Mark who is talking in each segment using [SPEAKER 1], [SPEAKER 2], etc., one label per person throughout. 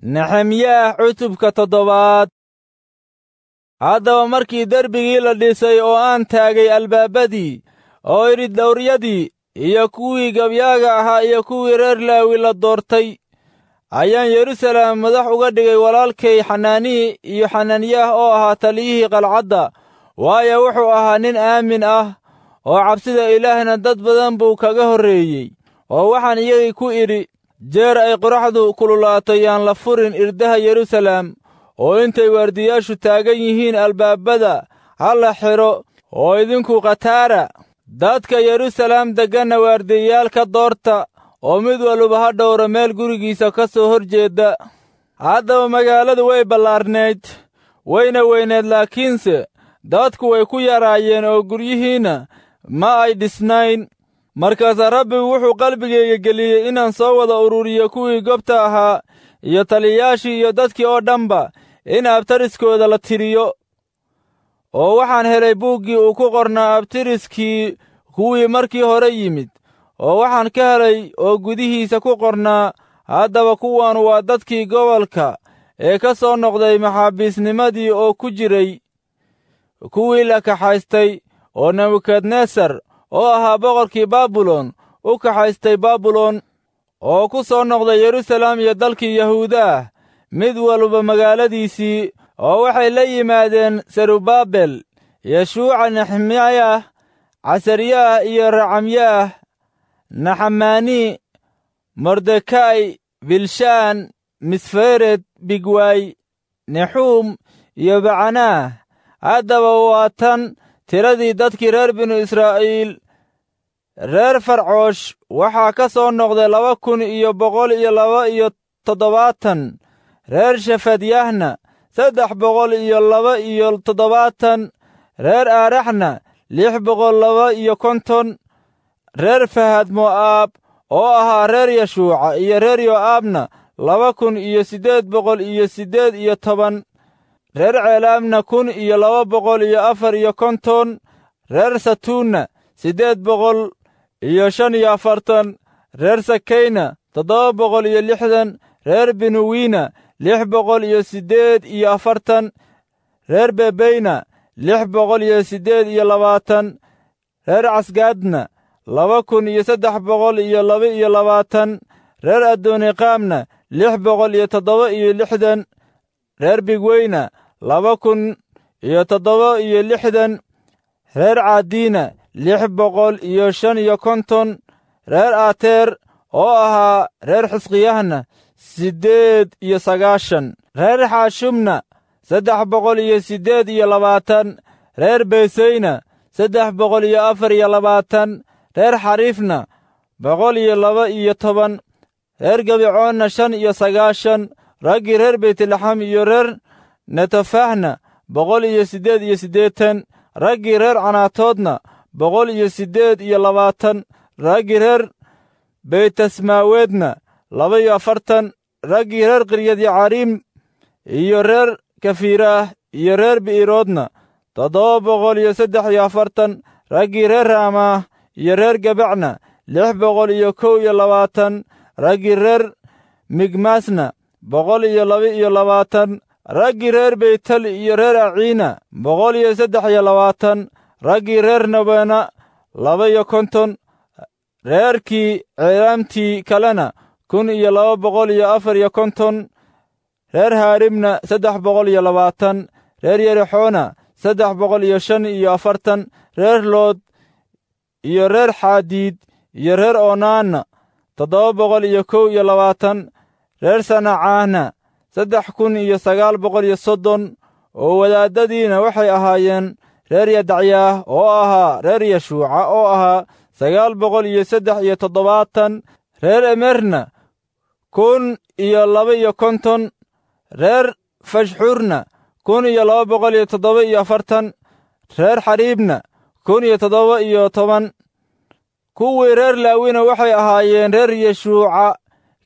[SPEAKER 1] Nexemyaah cutubka toddobaad. Haddaba markii derbigii la dhisay oo aan taagay albaabadii oo idhi dhawryadii iyo kuwii gabyaaga ahaa iyo kuwii reer Laawi la doortay, ayaan Yeruusaalem madax uga dhigay walaalkay Xanaanii iyo Xananyaah oo ahaa taliyihii qalcadda, waayo wuxuu ahaa nin aamin ah oo cabsida Ilaahna dad badan buu kaga horreeyey. Oo waxaan iyagii ku idhi, jeer ay qoraxdu kululaato yaan la furin irdaha Yeruusaalem, oo intay waardiyaashu taagan yihiin albaabada ha la xidho, oo idinku khataara dadka Yeruusaalem degganna waardiyayaal ka doorta, oo mid walba ha dhowro meel gurigiisa ka soo hor jeeda. Haddaba magaaladu way ballaarnayd, wayna weynayd, laakiinse dadku way ku yaraayeen oo guryihiinna ma ay dhisnayn. Markaasaa Rabbigu wuxuu qalbigayga geliyey inaan soo wada ururiyo kuwii gobta ahaa iyo taliyayaashii iyo dadkii oo dhanba, in abtariskooda la tiriyo. Oo waxaan helay buuggii uu ku qornaa abtiriskii kuwii markii hore yimid, oo waxaan ka helay oo gudihiisa ku qornaa, haddaba kuwan waa dadkii gobolka ee ka soo noqday maxaabiisnimadii oo ku jiray kuwii la kaxaystay oo Nebukadnesar oo ahaa boqorkii Baabilon u kaxaystay Baabilon, oo ku soo noqday Yeruusaalem iyo dalkii Yahuudaah, mid walba magaaladiisii. Oo waxay la yimaadeen Serubaabel, Yeshuuca, Nexemyaah, Casaryaah iyo Racamyaah, Naxamaani, Mordekay, Bilshaan, Misfered, Bigway, Nexuum iyo Bacanaah. Haddaba waa tan tiradii dadkii reer binu Israa'iil. Reer Farcoosh waxaa ka soo noqday 2172, reer Shefadyahna 372, reer Aaraxna 652, reer Fahad Mo'aab oo ahaa reer Yeshuuca iyo reer Yo'aabna 2818, reer Ceelaamna 1254, reer Satuunna 845, reer Sakayna 760, reer Binuwiina 648, reer Bebeyna 628, reer Casgaadna 2322, reer Adoniqaamna 667, reer Bigweyna 2067, reer Caadiina 655, reer Aateer oo ahaa reer Xisqiyahna 98, reer Xaashumna 328, reer Beeseyna 324, reer Xariifna 112, reer Gabicoonna 95, raggii reer Beytlaxam iyo reer Netofahna 188, raggii reer Canaatoodna 128, raggii reer Beytasmaaweedna 42, raggii reer Qiryad Yacariim iyo reer Kafiiraah iyo reer Bi'iroodna 743, raggii reer Raamaah iyo reer Gebacna 621, raggii reer Migmaasna 122, raggii reer Beytel iyo reer Aciina 123, raggii reer Nabeena 52, reerkii Ceelaamtii kalena 1254, reer Haarimna 320, reer Yerixoona 345, reer Lood iyo reer Xaadiid iyo reer Oonaanna 721, reer Sanacaahna 3930. Oo wadaadadiina waxay ahaayeen reer Yadacyaah oo ahaa reer Yeshuuca oo ahaa 973, reer Emerna 1052, reer Fashxuurna 1247, reer Xariibna 1017. Kuwii reer Laawina waxay ahaayeen reer Yeshuuca,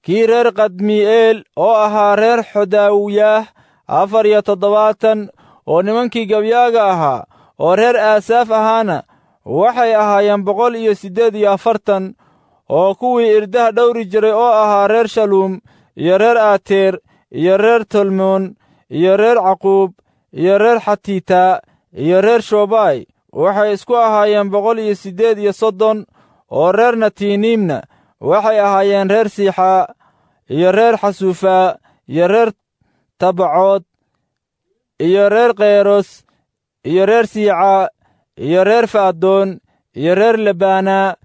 [SPEAKER 1] kii reer Kadmi'eel oo ahaa reer Xodaawiyaah 74, oo nimankii gabyaaga ahaa oo reer Aasaaf ahaana waxay ahaayeen 148, oo kuwii irdaha dhowri jiray oo ahaa reer Shaluum iyo reer Aateer iyo reer Tolmoon iyo reer Caquub iyo reer Xatiitaa iyo reer Shobaay waxay isku ahaayeen 138. Oo reer Natiiniimna waxay ahaayeen reer Siixaa iyo reer Xasuufaa iyo reer Tabacood iyo reer Keyros iyo reer Siicaa iyo reer Faadoon iyo reer Lebaanaa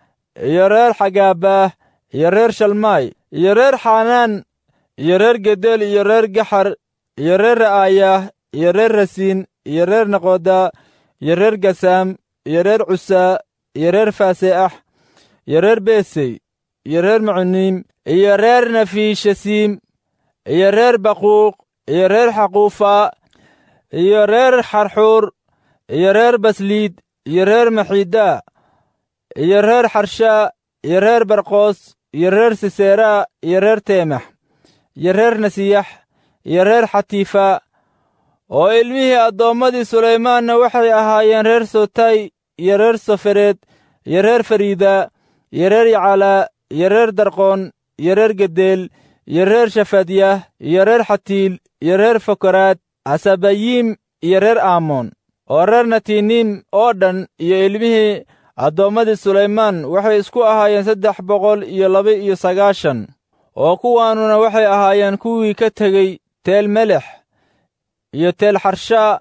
[SPEAKER 1] iyo reer Xagaabaah iyo reer Shalmaay iyo reer Xanaan iyo reer Gedel iyo reer Gaxar iyo reer Ra'aayaah iyo reer Rasiin iyo reer Naqooda iyo reer Gasaam iyo reer Cusaa iyo reer Faase'ax iyo reer Besey iyo reer Macuniim iyo reer Nafiishasiim iyo reer Baquuq iyo reer Xaquufaa iyo reer Xarxuur iyo reer Basliid iyo reer Maxiidaa iyo reer Xarshaa iyo reer Barqoos iyo reer Siseraa iyo reer Teemax iyo reer Nasiyax iyo reer Xatiifaa. Oo ilmihii addoommadii Sulaymaanna waxay ahaayeen reer Sotay iyo reer Sofereed iyo reer Fariida iyo reer Yacalaa iyo reer Darqoon iyo reer Gedeel iyo reer Shafadyah iyo reer Xatiil iyo reer Fokoraad Hasabayiim iyo reer Aamoon. Oo reer Natiiniim oo dhan iyo ilmihii addoommadii Sulaymaan waxay isku ahaayeen 392. Oo kuwaanuna waxay ahaayeen kuwii ka tegey Teel Melex iyo Teel Xarshaa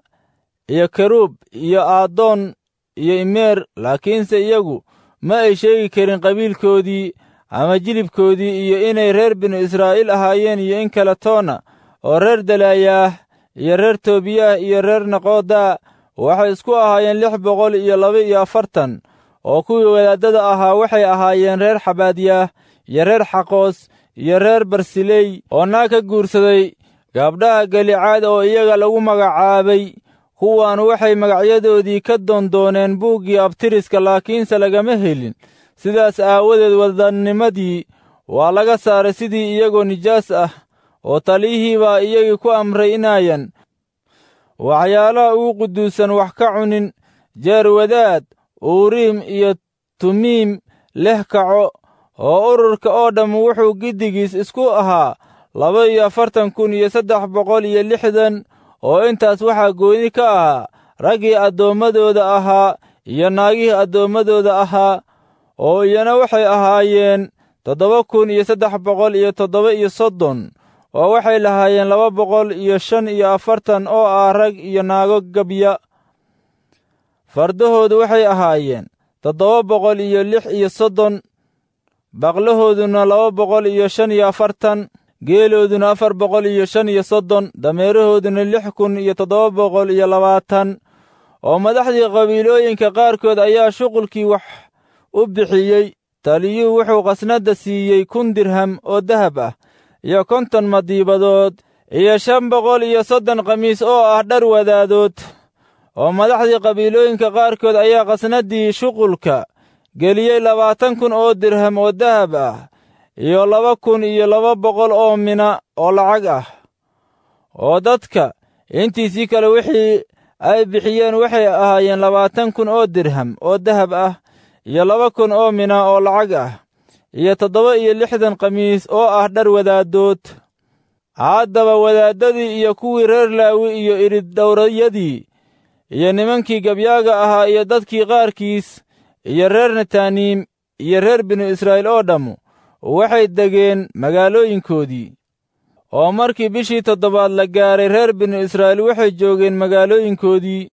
[SPEAKER 1] iyo Keruub iyo Aadoon iyo Imeer, laakiinse iyagu ma ay sheegi karin qabiilkoodii ama jilibkoodii iyo inay reer binu Israa'iil ahaayeen iyo in kale toona. Oo reer Dalaayaah iyo reer Toobiyaah iyo reer Naqoodaa waxay isku ahaayeen 642. Oo kuwii wadaaddada ahaa waxay ahaayeen reer Xabaadyaah iyo reer Xaqoos iyo reer Barsiley oo naag ka guursaday gabdhaha Galicaad oo iyaga lagu magacaabay. Kuwaan waxay magacyadoodii ka doondooneen buuggii abtiriska, laakiinse lagama helin. Sidaas aawadeed waddannimadii waa laga saaray sidii iyagoo nijaas ah, oo taliyihii baa iyagii ku amray inaayan waxyaalaha ugu quduusan wax ka cunin. Jeer wadaad Uuriim iyo Tumiim leh kaco, oo ururka oo dhamm wuxuu giddigiis isku ahaa 42,360. Oo intaas waxaa gooni ka ahaa raggii addoommadooda ahaa iyo naagihii addoommadooda ahaa, oo iyana waxay ahaayeen 7,337. Oo waxay lahaayeen 245 oo ah rag iyo naago gabya. Fardahoodu waxay ahaayeen 736, baqlahooduna 245, geelooduna 435, dameerahooduna 6,720. Oo madaxdii qabiilooyinka qaarkood ayaa shuqulkii wax u bixiyey. Taliyuhu wuxuu khasnadda siiyey 1000 dirham oo dahab ah iyo 50 madiibadood iyo 530 khamiis oo ah dhar wadaadood. Oo madaxdii qabiilooyinka qaarkood ayaa khasnaddii shuqulka geliyey 20,000 oo dirham oo dahab ah iyo 2,200 oo mina oo lacag ah. Oo dadka intiisii kale wixii ay bixiyeen waxay ahaayeen 20,000 oo dirham oo dahab ah iyo 2,000 oo mina oo lacag ah iyo 67 khamiis oo ah dhar wadaadood. Haddaba wadaaddadii iyo kuwii reer Laawi iyo irid dhowrayadii iyo nimankii gabyaaga ahaa iyo dadkii qaarkiis iyo reer Netaaniim iyo reer binu Israa'iil oo dhammu waxay degeen magaalooyinkoodii. Oo markii bishii toddobaad la gaaray, reer binu Israa'iil waxay joogeen magaalooyinkoodii.